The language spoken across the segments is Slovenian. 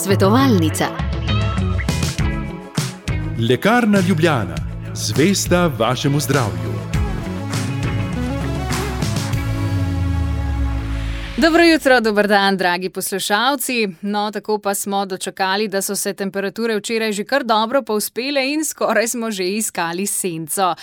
Svetovalnica. Lekarna Ljubljana, zvesta vašemu zdravju. Dobro jutro, dober dan, dragi poslušalci. No, tako pa smo dočakali, da so se temperature včeraj že kar dobro povzpele in skoraj smo že iskali senco.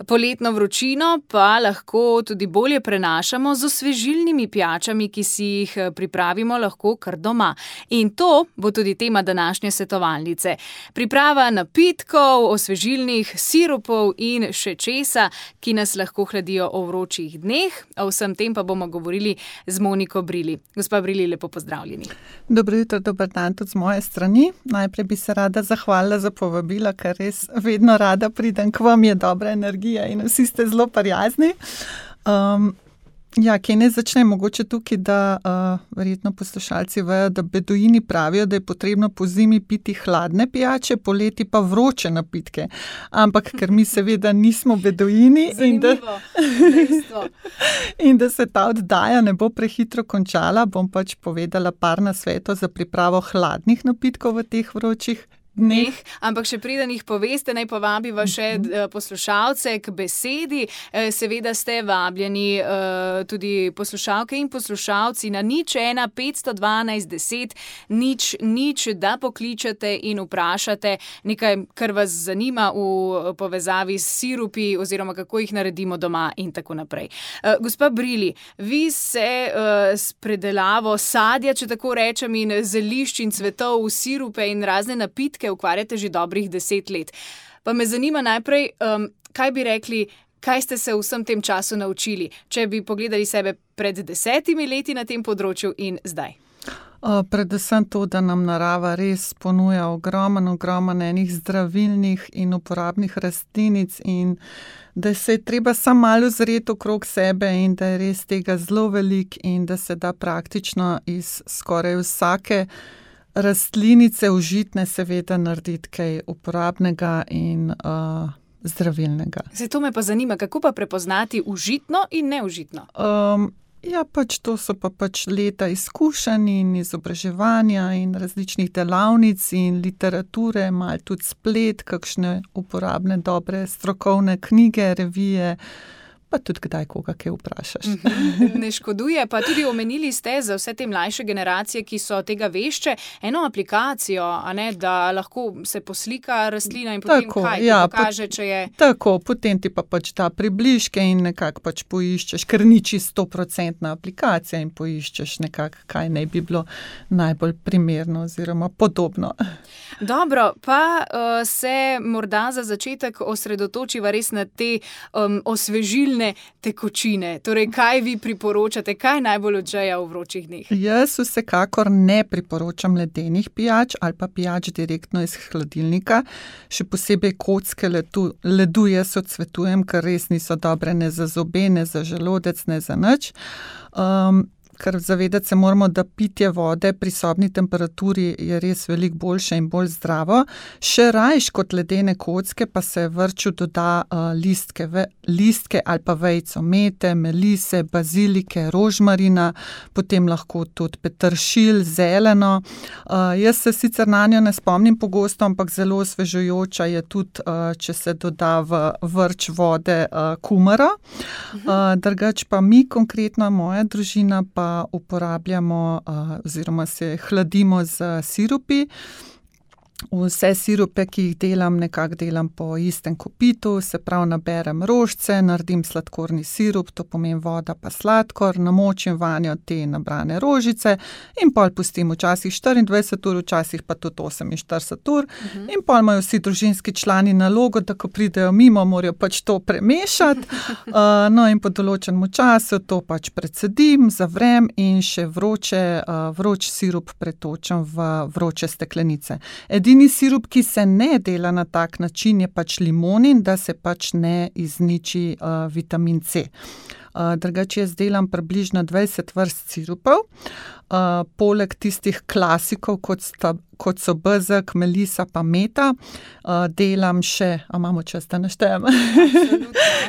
Poletno vročino pa lahko tudi bolje prenašamo z osvežilnimi pijačami, ki si jih pripravimo lahko kar doma. In to bo tudi tema današnje svetovalnice. Priprava napitkov, osvežilnih sirupov in še česa, ki nas lahko hladijo o vročih dneh. O vsem tem pa bomo govorili z Moniko Brili. Gospa Brili, lepo pozdravljeni. Dobro jutro, dober dan tudi z moje strani. Najprej bi se rada zahvalila za povabilo, ker res vedno rada pridem k vam, je dobra energija in vsi ste zelo prijazni. Kje ne začne mogoče tukaj, da verjetno poslušalci vejo, da beduini pravijo, da je potrebno po zimi piti hladne pijače, poleti pa vroče napitke. Ampak ker mi seveda nismo beduini in da se ta oddaja ne bo prehitro končala, bom pač povedala par nasvetov za pripravo hladnih napitkov v teh vročih dneh. Ampak še preden jih poveste, naj povabiva še poslušalce k besedi. Seveda ste vabljeni tudi poslušalke in poslušalci na 01 512 10 0, da pokličete in vprašate nekaj, kar vas zanima v povezavi s sirupi oziroma kako jih naredimo doma in tako naprej. Gospa Brili, vi se s predelavo sadja, če tako rečem, in zelišč in cvetov v sirupe in razne napitke ukvarjate že dobrih 10 let. Pa me zanima najprej, kaj bi rekli, kaj ste se v vsem tem času naučili, če bi pogledali sebe pred 10 leti na tem področju in zdaj? Predvsem to, da nam narava res ponuja ogromen enih zdravilnih in uporabnih rastlinic in da se je treba samo malo ozreti okrog sebe in da je res tega zelo veliko in da se da praktično iz skoraj vsake rastlinice užitne seveda narediti kaj uporabnega in zdravilnega. Zdaj, to me pa zanima, kako pa prepoznati užitno in neužitno? Pač to so pač leta izkušenj in izobraževanja in različnih delavnic in literature, malo tudi splet, kakšne uporabne, dobre strokovne knjige, revije, pa tudi kdaj koga kaj vprašaš. Ne škoduje, pa tudi omenili ste za vse te mlajše generacije, ki so tega vešče, eno aplikacijo, a ne, da lahko se poslika rastlina in potem pokaže, če je... Tako, potem ti pa pač ta približke in nekako pač poiščeš, ker ni čisto 100% aplikacija in poiščeš nekako, kaj naj bi bilo najbolj primerno oziroma podobno. Dobro, pa se morda za začetek osredotočiva res na te osvežilne tekočine. Torej, kaj vi priporočate, kaj najbolj odžeja v vročih dneh? Jaz vsekakor ne priporočam ledenih pijač ali pa pijač direktno iz hladilnika. Še posebej kocke ledu jaz odsvetujem, ker res niso dobre ne za zobe, ne za želodec, ne za nič. Ker zavedati se moramo, da pitje vode pri sobni temperaturi je res veliko boljše in bolj zdravo. Še rajš kot ledene kocke pa se vrču doda listke ali pa vejico mete, melise, bazilike, rožmarina, potem lahko tudi peteršilj, zeleno. Jaz se sicer na njo ne spomnim pogosto, ampak zelo osvežujoča je tudi, če se doda v vrč vode kumaro. Drugače pa mi konkretno, moja družina pa uporabljamo oziroma se hladimo z sirupi. Vse sirupe, ki jih delam, nekako delam po istem kopitu, se pravi naberem rožice, naredim sladkorni sirup, to pomeni voda pa sladkor, namočim vanjo te nabrane rožice in pol pustim včasih 24 ur, včasih pa tudi 48 ur. In pol imajo vsi družinski člani nalogo, da ko pridejo mimo, morajo pač to premešati. In po določenem času to pač precedim, zavrem in še vroč sirup pretočem v vroče steklenice. Edini sirup, ki se ne dela na tak način, je pač limonin, da se pač ne izniči vitamin C. Drugače jaz delam približno 20 vrst sirupov. Poleg tistih klasikov, kot so bezeg, melisa pa meta, delam še, imamo čas, da naštejem?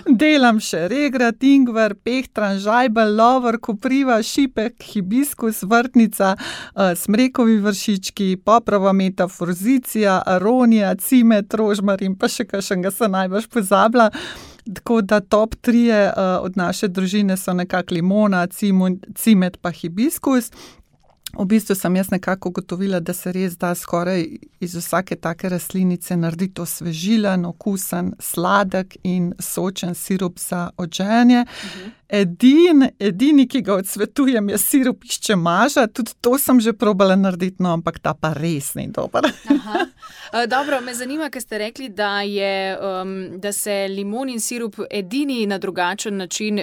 Delam še regrat, ingver, pehtran, žajbelj, lovor, kopriva, šipek, hibiskus, vrtnica, smrekovi vršički, poprova meta, forzicija, aronija, cimet, rožmarin, pa še kakšnega se najbrž pozabila. Tako da top 3 od naše družine so nekako limona, cimet pa hibiskus. V bistvu sem jaz nekako ugotovila, da se res da skoraj iz vsake take rastlinice narediti osvežilen, okusen, sladek in sočen sirup za odžejanje. Edini, ki ga odsvetujem, je sirup iz čemaža, tudi to sem že probala narediti, no, ampak ta pa res ni dober. Dobro, me zanima, ker ste rekli, da se limonin sirup edini na drugačen način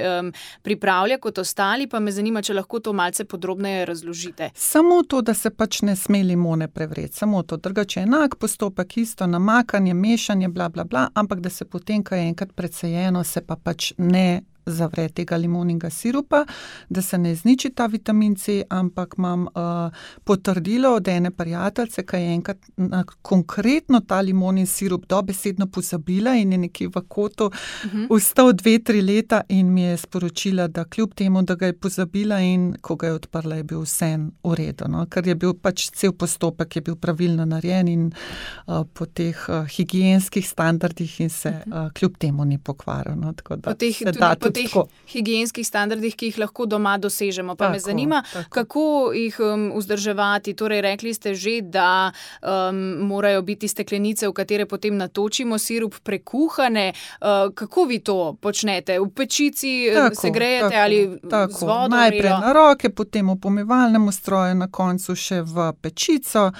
pripravlja kot ostali, pa me zanima, če lahko to malce podrobneje razložite. Samo to, da se pač ne sme limone prevreti, samo to, drugače enak postopek, isto namakanje, mešanje, bla, bla, bla, ampak da se potem, ko je enkrat predsejeno, se pa pač ne zavre tega limoninga sirupa, da se ne izniči ta vitamin C, ampak imam potrdilo od ene prijateljice, ki je enkrat konkretno ta limonin sirup dobesedno pozabila in je nekje v kotu ostal 2-3 leta in mi je sporočila, da kljub temu, da ga je pozabila in ko ga je odprla, je bil vseeno v redu, no? Ker je bil pač cel postopek je bil pravilno narejen in po teh higienskih standardih in se kljub temu ni pokvaril, no? Tako da po teh higienskih standardih, ki jih lahko doma dosežemo. Pa me zanima, kako jih vzdrževati. Torej, rekli ste že, da morajo biti steklenice, v katere potem natočimo sirup, prekuhane. Kako vi to počnete? V pečici se grejete ali z vodo? Najprej na roke, potem v pomivalnem stroju, na koncu še v pečico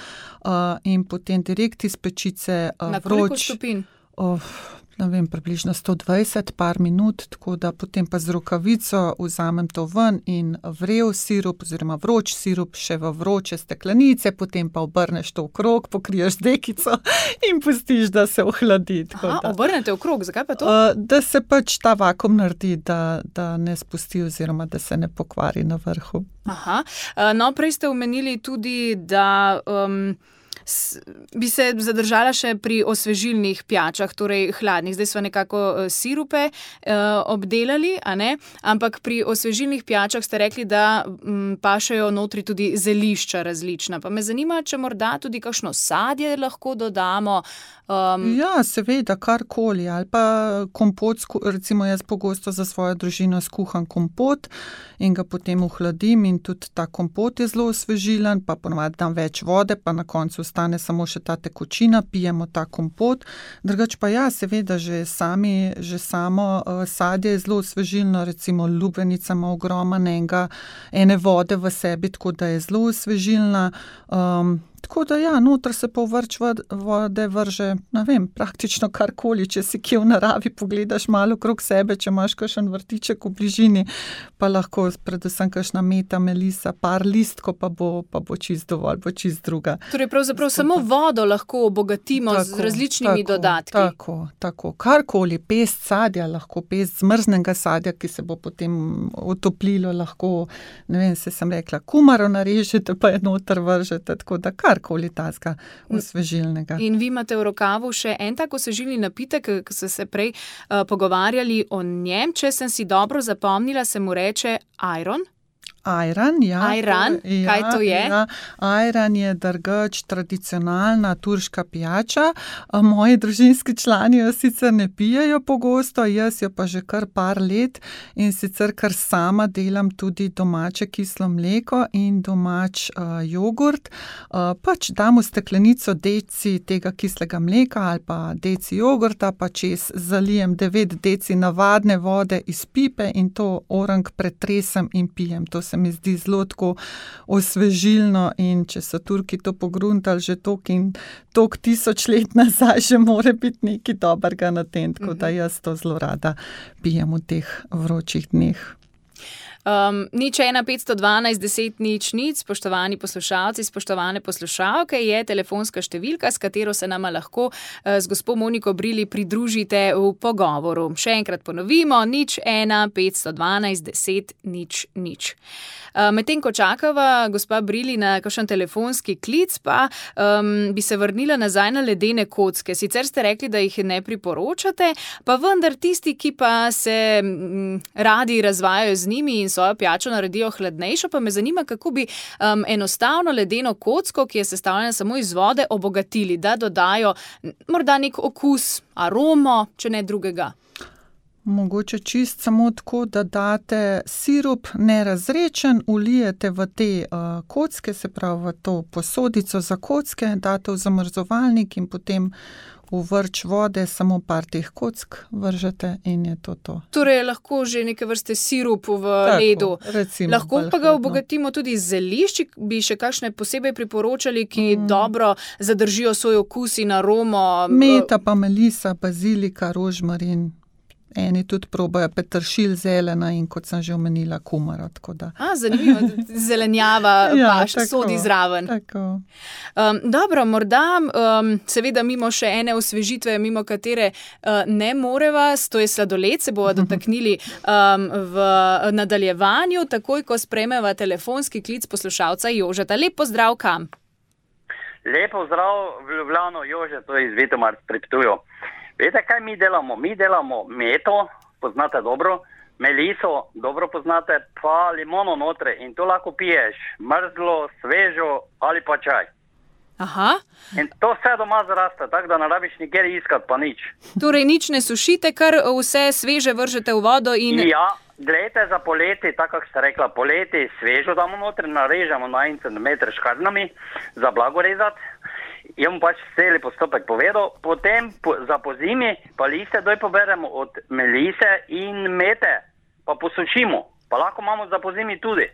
in potem direkt iz pečice vroč. Na koliko stopinj? Ne vem, približno 120, par minut, tako da potem pa z rokavico vzamem to ven in vrel sirup oziroma vroč sirup še v vroče steklenice, potem pa obrneš to v krog, pokriješ dekico in pustiš, da se ohladi. Obrnete v krog, zakaj pa to? Da se pač ta vakuum naredi, da ne spusti oziroma da se ne pokvari na vrhu. No, prej ste omenili tudi, da bi se zadržala še pri osvežilnih pijačah, torej hladnih. Zdaj smo nekako sirupe obdelali, a ne? Ampak pri osvežilnih pijačah ste rekli, da pašejo notri tudi zelišča različna. Pa me zanima, če morda tudi kakšno sadje lahko dodamo. Ja, seveda, karkoli. Ali pa kompot, recimo jaz pogosto za svojo družino skuham kompot in ga potem ohladim in tudi ta kompot je zelo osvežilen, pa ponovadi dam več vode, pa na koncu ostane samo še ta tekočina, pijemo ta kompot. Drugač pa ja, seveda, že samo sadje je zelo osvežilno, recimo lubenica ima ogromno ene vode v sebi, tako da je zelo osvežilna. Tako da ja, noter se pa v vrč vode vrže, ne vem, praktično karkoli, če si kje v naravi pogledaš malo krog sebe, če imaš kakšen vrtiček v bližini, pa lahko predvsem kakšna meta, melisa, par listko, pa bo čist dovolj, bo čist druga. Torej pravzaprav samo vodo lahko obogatimo z različnimi dodatki. Tako, karkoli, pest sadja, lahko pest zmrznega sadja, ki se bo potem otoplilo, lahko, ne vem, sem rekla, kumaro narežete, pa je noter vržete, tako da karkoli tazga osvežilnega. In vi imate v rokavu še en tak osvežilni napitek, ki ste se prej pogovarjali o njem, če sem si dobro zapomnila, se mu reče ajron. Ajran, ja. Ajran, kaj to je? Ja. Ajran je drugač tradicionalna turška pijača. Moji družinski člani jo sicer ne pijejo pogosto, jaz jo pa že kar par let in sicer kar sama delam tudi domače kislo mleko in domač jogurt. Pač dam v steklenico deci tega kislega mleka ali pa deci jogurta, pa čez zalijem 9 deci navadne vode iz pipe in to orang pretresem in pijem. To se mi zdi zelo tako osvežilno in če so Turki to pogruntali že toliko in toliko 1000 let nazaj, že more biti nekaj dobrega na tem, tako da jaz to zelo rada pijem v teh vročih dneh. Nič 1 512 10 0 0, spoštovani poslušalci, spoštovane poslušalke, je telefonska številka, s katero se nama lahko z gospo Moniko Brili pridružite v pogovoru. Še enkrat ponovimo, nič 1 512 10 0 0. Medtem ko čakava gospa Brili na kakšen telefonski klic, pa bi se vrnila nazaj na ledene kocke. Sicer ste rekli, da jih ne priporočate, pa vendar tisti, ki pa se radi razvajajo z njimi in svojo pijačo naredijo hladnejšo, pa me zanima, kako bi enostavno ledeno kocko, ki je sestavljena samo iz vode, obogatili, da dodajo morda nek okus, aromo, če ne drugega. Mogoče čist samo tako, da date sirup nerazrečen, ulijete v te kocke, se pravi v to posodico za kocke, date v zamrzovalnik in potem v vrč vode samo par teh kock vržete in je to. Torej lahko že neke vrste sirup v ledu. Recimo, lahko pa ga obogatimo tudi z zelišči, bi še kakšne posebej priporočali, ki dobro zadržijo svoj okus in aromo. Meta pa melisa, bazilika, rožmarin. Eni tudi probajo peteršilj, zelena in kot sem že omenila, kumara. Zanimivo, zelenjava paš, sodi zraven. Tako. Dobro, morda seveda mimo še ene osvežitve, mimo katere ne moreva, to je sladoled, se bova dotaknili v nadaljevanju, takoj ko sprejmeva telefonski klic poslušalca Jožeta. Lep pozdrav kam? Lep pozdrav v Ljubljano, Jože, to je iz Vitomar pri Ptuju. Veste, kaj mi delamo? Mi delamo meto, poznate dobro, meliso, dobro poznate, pa limono notre in to lahko piješ, mrzlo, svežo ali pa čaj. Aha. In to vse doma zraste, tako da ne rabiš nikjer iskati, pa nič. Torej nič ne sušite, kar vse sveže vržete v vodo in... Ja, gledajte za poleti, tako kako ste rekla, poleti svežo damo notre, narežemo na 1 centimeter škarnami za blago rezati. Jaz bom pač celi postopek povedal, potem za pozimi pa liste doj poberemo od melise in mete, pa posušimo, pa lahko imamo za pozimi tudi.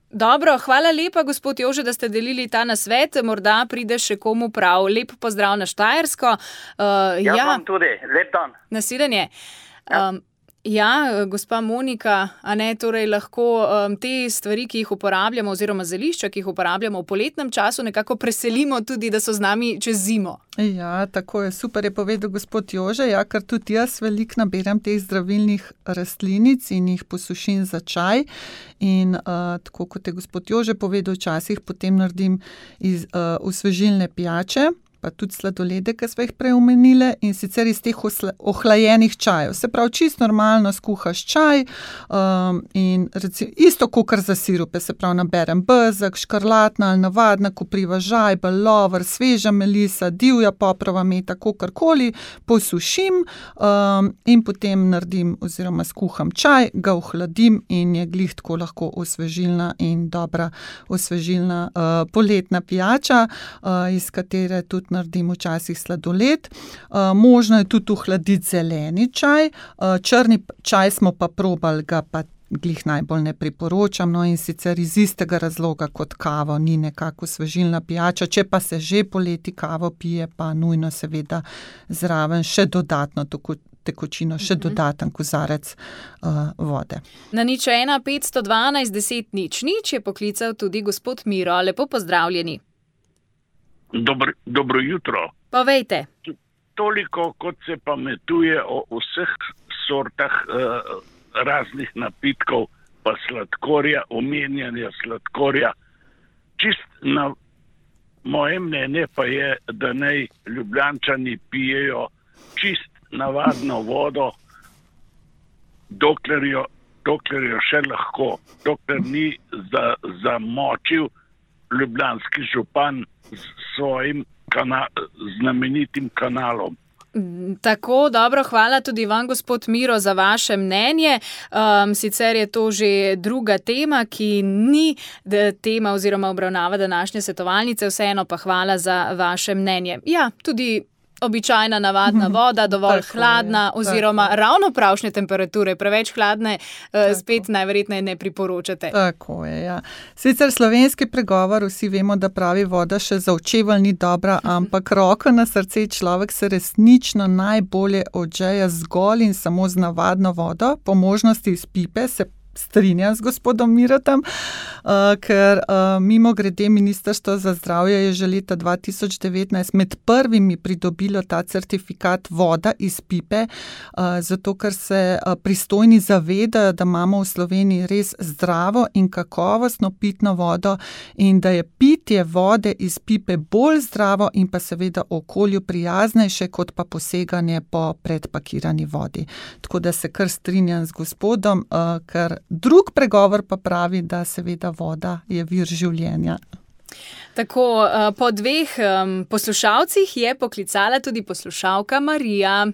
Dobro, hvala lepa, gospod Jože, da ste delili ta nasvet, morda pride še komu prav. Lep pozdrav na Štajersko. Jaz vam tudi, lep dan. Nasvidenje. Ja, gospa Monika, a ne, torej lahko te stvari, ki jih uporabljamo, oziroma zelišča, ki jih uporabljamo v poletnem času, nekako preselimo tudi, da so z nami čez zimo. Ja, tako je, super je povedal gospod Jože, ja, ker tudi jaz veliko naberam teh zdravilnih rastlinic in jih posušim za čaj in tako kot je gospod Jože povedal, včasih potem naredim osvežilne pijače, pa tudi sladolede, ki smo jih prej omenile, in sicer iz teh ohlajenih čajev. Se pravi, čisto normalno skuhaš čaj in recimo, isto kakor za sirupe, se pravi, naberem bezeg, škrlatna ali navadna kopriva žajbelj, lover, sveža melisa, divja poprova meta, kakorkoli, posušim in potem naredim oziroma skuham čaj, ga ohladim in je glih tako lahko osvežilna in dobra osvežilna poletna pijača, iz katere tudi naredim včasih sladoled. Možno je tudi ohladiti zeleni čaj. Črni čaj smo pa probali, ga pa glih najbolj ne priporočam, no in sicer iz istega razloga kot kavo, ni nekako osvežilna pijača. Če pa se že poleti kavo pije, pa nujno seveda zraven še dodatno tekočino, še dodaten kozarec vode. Na nič 1 512 10 0 0 je poklical tudi gospod Miro. Lepo pozdravljeni. Dobro jutro. Povejte. Toliko, kot se pametuje o vseh sortah raznih napitkov, pa sladkorja, omenjanja sladkorja, čist na moje mnenje pa je, da naj Ljubljančani pijejo čist navadno vodo, dokler jo še lahko, dokler ni zamočil ljubljanski župan s svojim znamenitim kanalom. Tako, dobro, hvala tudi vam, gospod Miro, za vaše mnenje. Sicer je to že druga tema, ki ni tema oziroma obravnava današnje svetovalnice, vseeno pa hvala za vaše mnenje. Ja, tudi Običajna navadna voda, dovolj Tako hladna je, oziroma tako. ravno pravšnje temperature, preveč hladne, spet najverjetneje ne priporočate. Tako je, ja. Sicer slovenski pregovor, vsi vemo, da pravi voda še za očevalj ni dobra, ampak roko na srce, človek se resnično najbolje odžeja zgolj in samo z navadno vodo, po možnosti iz pipe, se strinjam z gospodom Miratom, ker mimo grede Ministrstvo za zdravje je že leta 2019 med prvimi pridobilo ta certifikat voda iz pipe, zato ker se pristojni zavedajo, da imamo v Sloveniji res zdravo in kakovostno pitno vodo in da je pitje vode iz pipe bolj zdravo in pa seveda okolju prijaznejše, kot pa poseganje po predpakirani vodi. Tako da se kar strinjam z gospodom, ker drug pregovor pa pravi, da seveda voda je vir življenja. Tako, po dveh poslušalcih je poklicala tudi poslušalka Marija.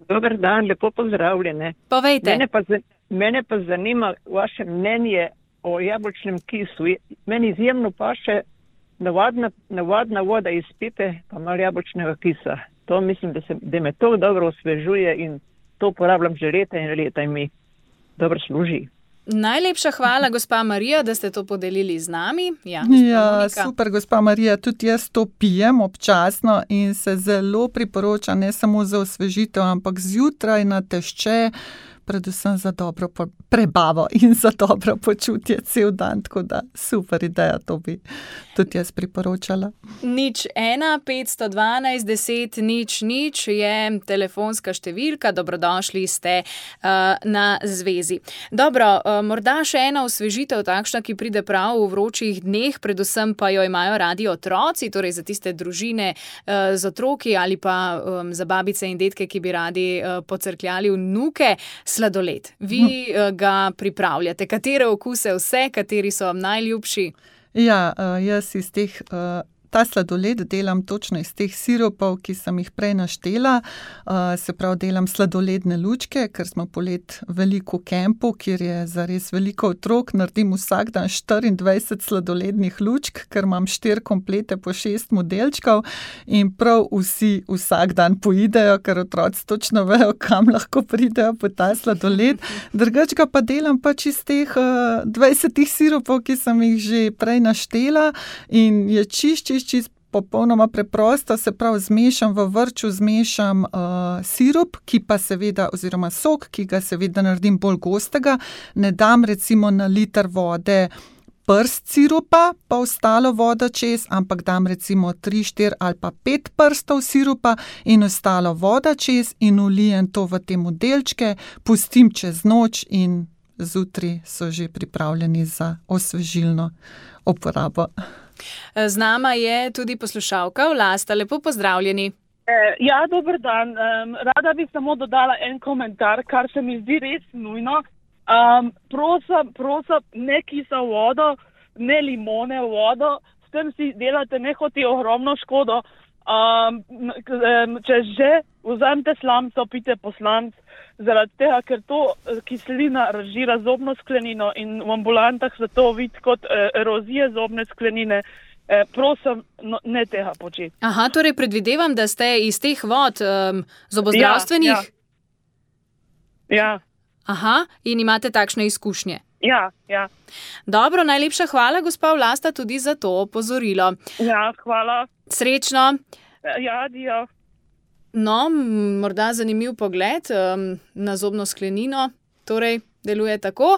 Dober dan, lepo pozdravljene. Povejte. Mene pa zanima vaše mnenje o jabolčnem kisu. Meni izjemno paše navadna voda iz pipe, pa malo jabolčnega kisa. To mislim, da me to dobro osvežuje in to uporabljam že leta in leta in mi dobro služi. Najlepša hvala, gospa Marija, da ste to podelili z nami. Ja, super, gospa Marija, tudi jaz to pijem občasno in se zelo priporoča ne samo za osvežitev, ampak zjutraj na tešče, predvsem za dobro prebavo in za dobro počutje cel dan, tako da super ideja, to bi tudi jaz priporočala. 01 512 10 00 je telefonska številka, dobrodošli ste na zvezi. Dobro, morda še ena osvežitev takšna, ki pride prav v vročih dneh, predvsem pa jo imajo radi otroci, torej za tiste družine z otroki ali pa za babice in detke, ki bi radi pocrkljali vnuke. Sladoled. Vi ga pripravljate. Katere okuse vse, kateri so vam najljubši? Ja, jaz iz teh, ta sladoled delam točno iz teh sirupov, ki sem jih prej naštela. Se pravi, delam sladoledne lučke, ker smo polet veliko v kempu, kjer je zares veliko otrok. Naredim vsak dan 24 sladolednih lučk, ker imam 4 komplete po 6 modelčkov in prav vsi vsak dan poidejo, ker otroci točno vejo, kam lahko pridejo po ta sladoled. Drugače ga pa delam pač iz teh 20 sirupov, ki sem jih že prej naštela in je čist popolnoma preprosto, se pravi zmešam v vrču, zmešam sirup, ki pa seveda, oziroma sok, ki ga seveda naredim bolj gostega, ne dam recimo na liter vode prst sirupa, pa ostalo vodo čez, ampak dam recimo 3, 4 ali pa 5 prstov sirupa in ostalo voda čez in ulijem to v te modelčke, pustim čez noč in zjutraj so že pripravljeni za osvežilno uporabo. Z nama je tudi poslušalka Vlasta. Lepo pozdravljeni. Ja, dober dan. Rada bi samo dodala en komentar, kar se mi zdi res nujno. Prosim, ne kisa vodo, ne limone vodo, s tem si delate nehoti ogromno škodo. Če že vzamete slamco, pite poslanc, zaradi tega, ker to kislina razžira zobno sklenino in v ambulantah se to vidi kot erozije zobne sklenine. Prosim, ne tega početi. Aha, torej predvidevam, da ste iz teh vod zobozdravstvenih? Ja. Aha, in imate takšne izkušnje? Ja. Dobro, najlepša hvala, gospa Vlasta, tudi za to opozorilo. Ja, hvala. Srečno. Ja, adijo. No, morda zanimiv pogled na zobno sklenino, torej deluje tako.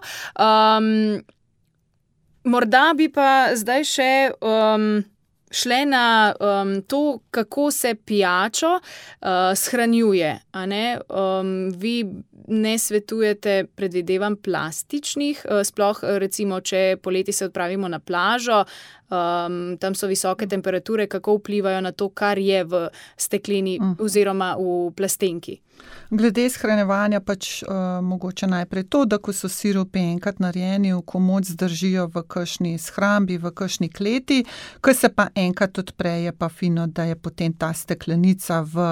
Morda bi pa zdaj še šle na to, kako se pijačo shranjuje. A ne? Vi ne svetujete, predvidevam, plastičnih, sploh recimo, če poleti se odpravimo na plažo, tam so visoke temperature, kako vplivajo na to, kar je v stekleni oziroma v plastenki. Glede shranjevanja pač mogoče najprej to, da ko so sirupi enkrat narejeni, v komod zdržijo v kakšni shrambi, v kakšni kleti, ko se pa enkrat odpre, je pa fino, da je potem ta steklenica v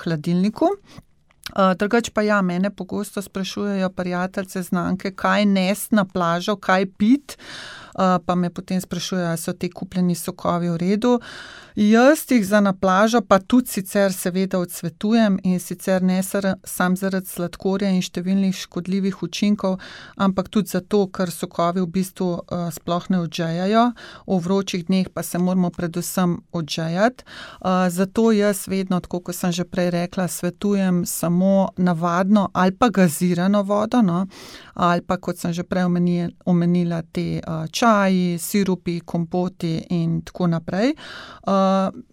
hladilniku. Drugače pa ja, mene pogosto sprašujejo prijateljce, znanke, kaj nesti na plažo, kaj piti. pa me potem sprašujejo, ali so te kupljeni sokovi v redu. Jaz jih za na plažo pa tudi sicer seveda odsvetujem in sicer ne sam zaradi sladkorja in številnih škodljivih učinkov, ampak tudi zato, ker sokovi v bistvu sploh ne odžejajo, v vročih dneh pa se moramo predvsem odžejati. Zato jaz vedno, tako kot sem že prej rekla, svetujem samo navadno ali pa gazirano vodo, no, ali pa kot sem že prej omenila te čaji, sirupi, kompoti in tako naprej.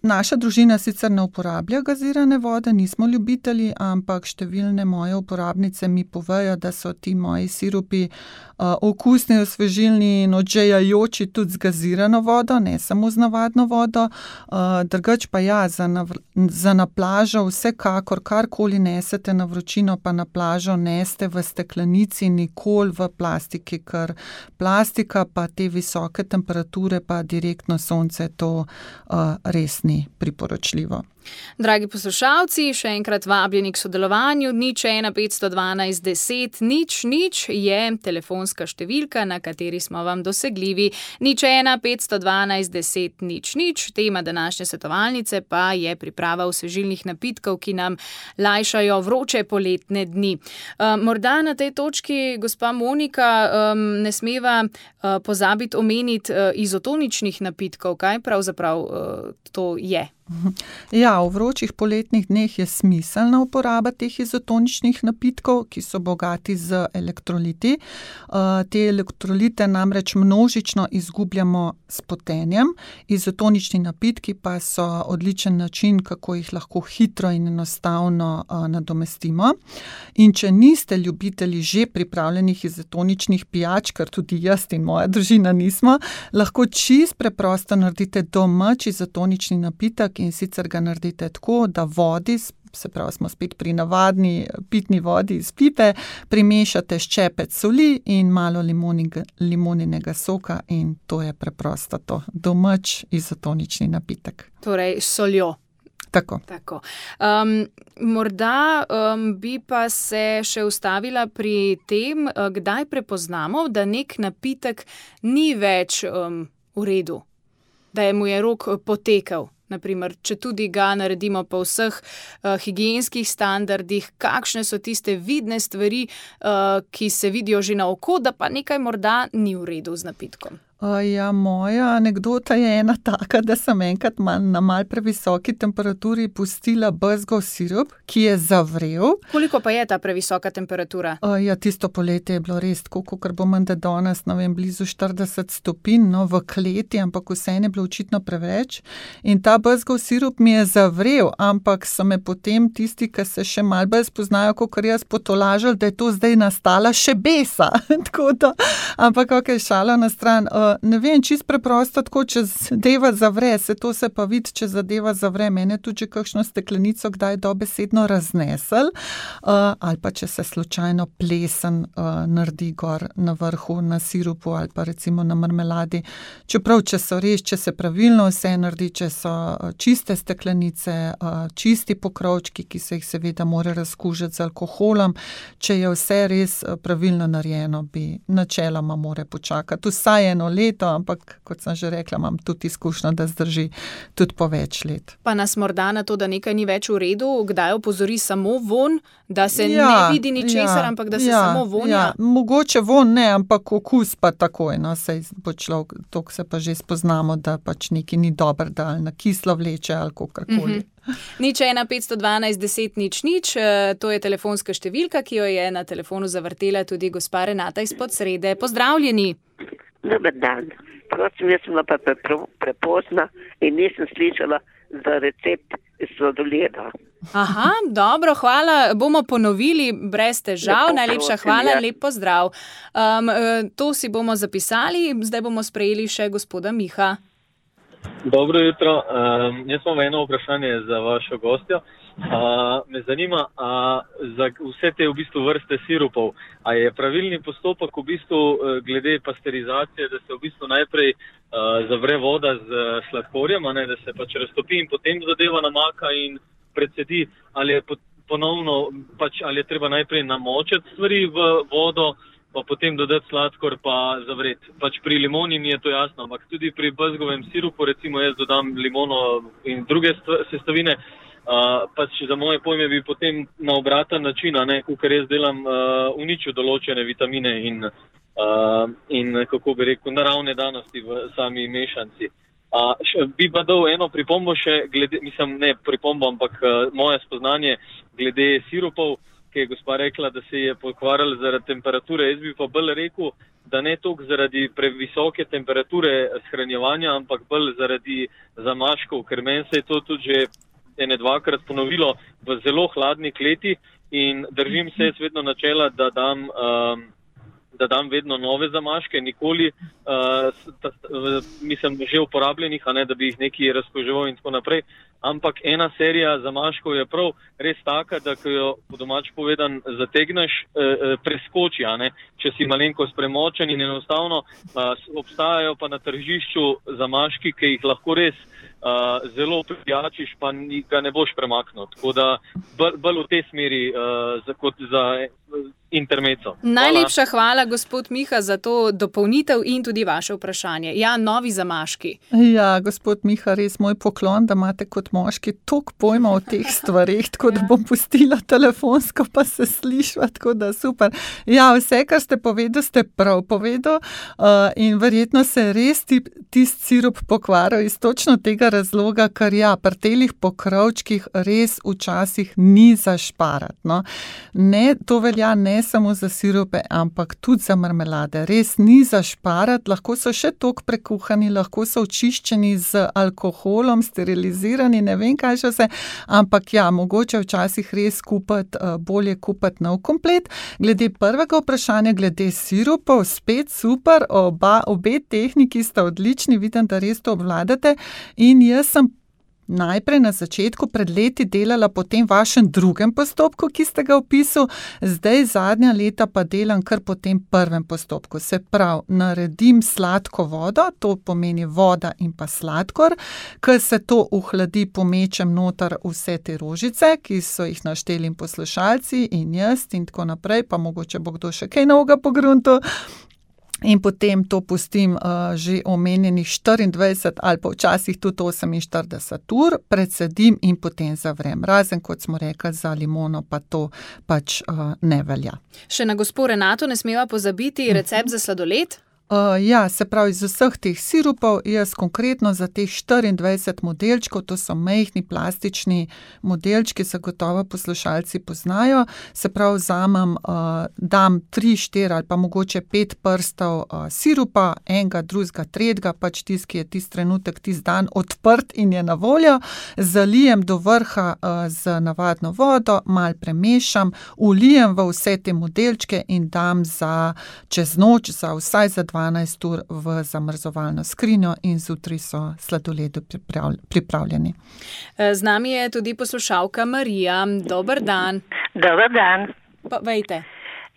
Naša družina sicer ne uporablja gazirane vode, nismo ljubitelji, ampak številne moje uporabnice mi povejo, da so ti moji sirupi okusni, osvežilni in odžejajoči tudi z gazirano vodo, ne samo z navadno vodo. Drugač pa ja, za na plažo vsekakor karkoli nesete na vročino, pa na plažo neste v steklenici, nikoli v plastiki, ker plastika pa te visoke temperature pa direktno sonce, to res ni priporočljivo. Dragi poslušalci, še enkrat vabljeni k sodelovanju. 015 512 10 000 je telefonska številka, na kateri smo vam dosegljivi. 015 512 10 000. Tema današnje svetovalnice pa je priprava osvežilnih napitkov, ki nam lajšajo vroče poletne dni. Morda na tej točki, gospa Monika, ne smeva pozabiti omeniti izotoničnih napitkov. Kaj pravzaprav to je? Ja, v vročih poletnih dneh je smiselna uporaba teh izotoničnih napitkov, ki so bogati z elektroliti. Te elektrolite namreč množično izgubljamo s potenjem. Izotonični napitki pa so odličen način, kako jih lahko hitro in enostavno nadomestimo. In če niste ljubitelji že pripravljenih izotoničnih pijač, kar tudi jaz in moja družina nismo, lahko čisto preprosto naredite domač izotonični napitek, in sicer ga naredite tako, da vodi, se pravi, smo spet pri navadni pitni vodi iz pipe, primešate ščepec soli in malo limoninega soka in to je preprosto to. Domač izotonični napitek. Torej s soljo. Tako. Morda bi pa se še ustavila pri tem, kdaj prepoznamo, da nek napitek ni več v redu, da mu je rok potekel. Naprimer, če tudi ga naredimo po vseh higienskih standardih, kakšne so tiste vidne stvari, ki se vidijo že na oko, da pa nekaj morda ni v redu z napitkom. Ja, moja anekdota je ena taka, da sem enkrat na mal previsoki temperaturi pustila bezgov sirup, ki je zavrel. Koliko pa je ta previsoka temperatura? Ja, tisto poletje je bilo res tako, kakor bo menda danes, ne vem, blizu 40 stopinj, no, v kleti, ampak vseeno je bilo očitno preveč. In ta bezgov sirup mi je zavrel, ampak so me potem tisti, ki se še malo bolj spoznajo, kakor jaz, potolažili, da je to zdaj nastala še besa. Tako da, ampak okej, šala na stran. Ne vem, čisto preprosto, tako, če zadeva zavre, se pa vidi, če zadeva zavre. Mene tudi že kakšno steklenico kdaj dobesedno raznesel, ali pa če se slučajno plesen naredi gor na vrhu, na sirupu ali pa recimo na marmeladi. Čeprav, če se pravilno vse naredi, če so čiste steklenice, čisti pokrovčki, ki se jih seveda mora razkužiti z alkoholom, če je vse res pravilno narejeno, bi načeloma more počakati vsaj eno leto, ampak kot sem že rekla, imam tudi izkušnjo, da zdrži tudi po več let. Pa nas morda na to, da nekaj ni več v redu, kdaj opozori samo von, da se ne vidi ničesar, ampak da se samo vonja? Ja, mogoče von ne, ampak okus pa takoj, no, sej bo človek, toliko se pa že spoznamo, da pač nekaj ni dobro, da ali na kislo vleče ali kakorkoli. 015 512 10 000, to je telefonska številka, ki jo je na telefonu zavrtela tudi gospa Renata iz Podsrede. Pozdravljeni. Dober dan. Prosim, jaz sem bila pa prepozna in nisem slišala za recept sladoleda. Aha, dobro, hvala. Bomo ponovili brez težav. Najlepša hvala, lep pozdrav. To si bomo zapisali, zdaj bomo sprejeli še gospoda Miha. Dobro jutro. Jaz imam eno vprašanje za vašo gostjo. Me zanima, za vse te v bistvu vrste sirupov, a je pravilni postopek v bistvu glede pasterizacije, da se v bistvu najprej zavre voda z sladkorjem, a ne, da se pač raztopi in potem zadeva namaka in predsedi, ali je ponovno pač, ali je treba najprej namočiti stvari v vodo, pa potem dodati sladkor pa zavreti. Pač pri limoni mi je to jasno, ampak tudi pri bezgovem sirupu, recimo jaz dodam limono in druge sestavine, pač za moje pojme bi potem na obraten način, kakor jaz delam, uničil določene vitamine in kako bi rekel, naravne danosti v sami mešanci. Bi pa dal eno pripombo še, ne pripombo, ampak moje spoznanje glede sirupov, ki je gospa rekla, da se je pokvarjal zaradi temperature. Jaz bi pa bolj rekel, da ne toliko zaradi previsoke temperature shranjevanja, ampak bolj zaradi zamaškov, ker meni se je to tudi že ene dvakrat ponovilo v zelo hladni kleti in držim se jaz vedno načela, da dam vedno nove zamaške, nikoli mislim že uporabljenih, a ne da bi jih neki razkoževal in tako naprej, ampak ena serija zamaškov je prav res taka, da ko jo po domač povedan zategneš, preskoči, a ne, če si malenkost premočen in enostavno obstajajo pa na tržišču zamaški, ki jih lahko res zelo prijačiš, pa ga ne boš premaknil. Tako da bolj v tej smeri kot za intermeco. Najlepša hvala, gospod Miha, za to dopolnitev in tudi vaše vprašanje. Ja, novi zamaški. Ja, gospod Miha, res moj poklon, da imate kot moški toliko pojma o teh stvareh, tako da bom pustila telefonsko, pa se slišva, tako da super. Ja, vse, kar ste povedali, ste prav povedali in verjetno se res tisti sirup pokvaril iz točno tega razloga, ker ja, pri telih pokrovčkih res včasih ni za šparati. No. Ne, to velja ne samo za sirupe, ampak tudi za marmelade. Res ni za šparati, lahko so še toliko prekuhani, lahko so očiščeni z alkoholom, sterilizirani, ne vem kaj še vse, ampak ja, mogoče včasih res bolje kupiti nov komplet. Glede prvega vprašanja, glede sirupov, spet super, obe tehniki sta odlični, vidim, da res to obvladate in jaz sem najprej na začetku pred leti delala po tem vašem drugem postopku, ki ste ga opisali, zdaj zadnja leta pa delam kar po tem prvem postopku. Se pravi, naredim sladko vodo, to pomeni voda in pa sladkor, ker se to ohladi, pomečem noter vse te rožice, ki so jih našteli poslušalci in jaz in tako naprej, pa mogoče bo kdo še kaj novega pogruntal. In potem to pustim že omenjenih 24 ali pa včasih tudi 48 ur, predsedim in potem zavrem. Razen, kot smo rekli, za limono pa to pač ne velja. Še na gospo Renato ne smeva pozabiti recept za sladoled? Ja, se pravi, iz vseh teh sirupov, jaz konkretno za teh 24 modelčkov, to so majhni plastični modelčki, se gotovo poslušalci poznajo, se pravi, vzamem, dam 3, 4 ali pa mogoče 5 prstov sirupa, enega, drugega, tretjega, pač tisti, ki je tisti trenutek, tisti dan odprt in je na voljo, zalijem do vrha z navadno vodo, malo premešam, ulijem v vse te modelčke in dam čez noč, vsaj za 12 ur v zamrzovalno skrinjo in zjutraj so sladoledi pripravljeni. Z nami je tudi poslušalka Marija. Dober dan. Dober dan. Povejte.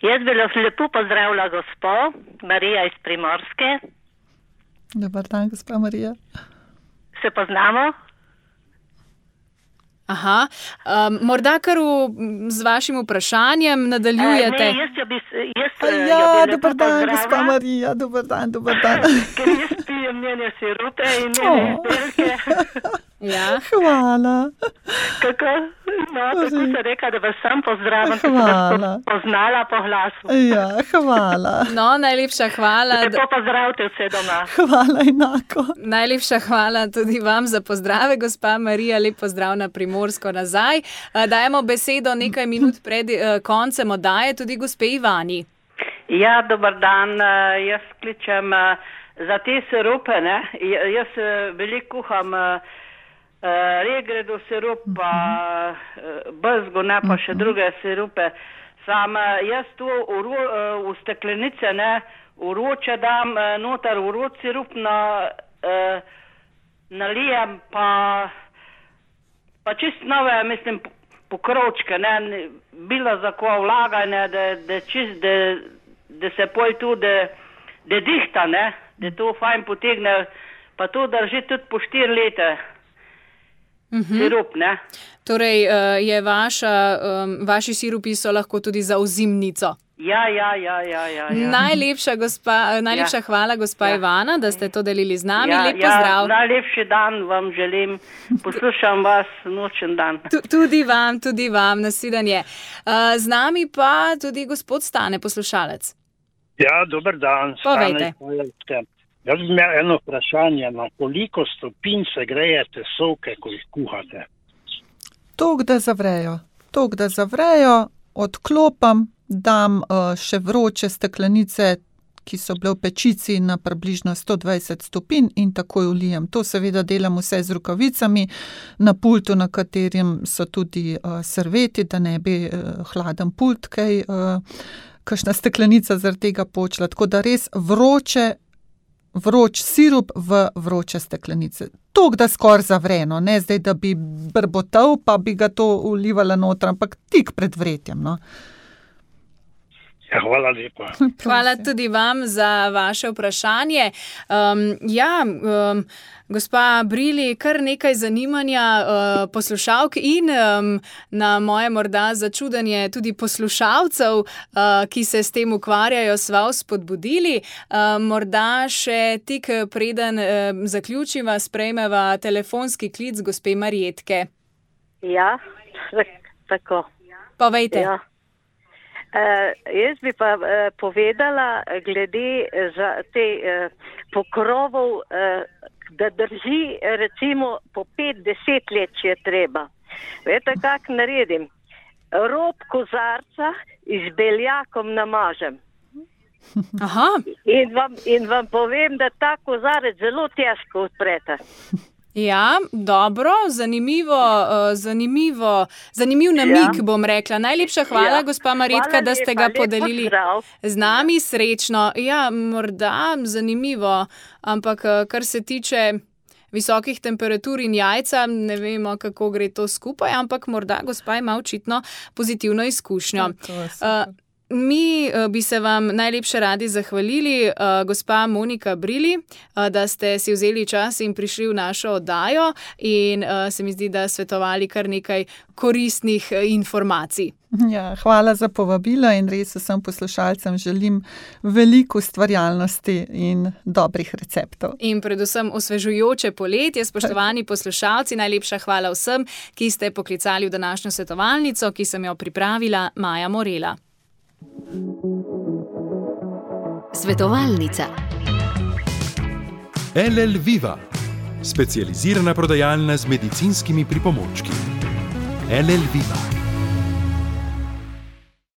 Jaz bi lepo pozdravila gospo Marija iz Primorske. Dober dan, gospa Marija. Se poznamo? Aha, morda kar z vašim vprašanjem nadaljujete. Dober dan, gospa Marija, dober dan. Ker jaz pijem njene sirupe in njene izdelke. Ja. Hvala. Kako se reka, da vas sam pozdravim, da vas poznala po glasu. Ja, hvala. No, najlepša hvala. Lepo pozdravite vse doma. Hvala enako. Najlepša hvala tudi vam za pozdrave, gospa Marija, lep pozdrav na Primorsko nazaj. Dajemo besedo nekaj minut pred koncem oddaje tudi gospe Ivani. Ja, dober dan, jaz kličem za te sirupe, ne, jaz veliko kuham regredo sirup, pa bezgo, ne, pa še druge sirupe. Sam jaz tu v steklenice, ne, vroče dam noter vroč sirup, nalijem pa čist nove, mislim, pokrovčke, ne, bilo za ko vlaganje, da se poj tu, da dihta, ne, da to fajn potegne, pa to drži tudi po 4 leta. Sirup, ne. Torej, vaši sirupi so lahko tudi za ozimnico. Ja. Najlepša hvala, gospa Ivana, da ste to delili z nami. Lep pozdrav. Najlepši dan vam želim. Poslušam vas nočen dan. Tudi vam, nasvidenje. Z nami pa tudi gospod Stane, poslušalec. Ja, dober dan. Povejte. Jaz bi imel eno vprašanje, na koliko stopinj se grejete sovke, ko jih kuhate? Toliko, da zavrejo, odklopam, dam še vroče steklenice, ki so bile v pečici na približno 120 stopinj in takoj vlijem. To seveda delam vse z rokavicami, na pultu, na katerem so tudi serveti, da ne bi hladen pult, kakšna steklenica zaradi tega počela. Tako da res vroč sirup v vroče steklenice. Toliko, da skoraj zavreno, ne zdaj, da bi brbotal, pa bi ga to vlivala noter, ampak tik pred vretjem, no. Ja, hvala lepa. Hvala tudi vam za vaše vprašanje. Gospa Brili, kar nekaj zanimanja poslušalk in na moje morda začudenje tudi poslušalcev, ki se s tem ukvarjajo, sva spodbudili. Morda še tik preden zaključiva, sprejmeva telefonski klic gospe Marjetke. Ja, tako. Povejte. Ja. Jaz bi pa povedala glede za te pokrovov, da drži recimo po 5-10 let, če je treba. Veste, kak naredim? Rob kozarca z beljakom namažem. Aha. In vam povem, da ta kozarec zelo težko odprete. Ja, dobro, zanimiv namig, bom rekla. Najlepša hvala, gospa Marjetka, da ste ga podelili z nami. Srečno. Ja, morda zanimivo, ampak kar se tiče visokih temperatur in jajca, ne vemo, kako gre to skupaj, ampak morda gospa ima očitno pozitivno izkušnjo. Mi bi se vam najlepše radi zahvalili, gospa Monika Brili, da ste si vzeli čas in prišli v našo oddajo in se mi zdi, da svetovali kar nekaj koristnih informacij. Ja, hvala za povabilo in res vsem poslušalcem želim veliko ustvarjalnosti in dobrih receptov. In predvsem osvežujoče poletje, spoštovani poslušalci, najlepša hvala vsem, ki ste poklicali v današnjo svetovalnico, ki sem jo pripravila Maja Morela. Svetovalnica. LL Viva, specializirana prodajalna z medicinskimi pripomočki. LL Viva.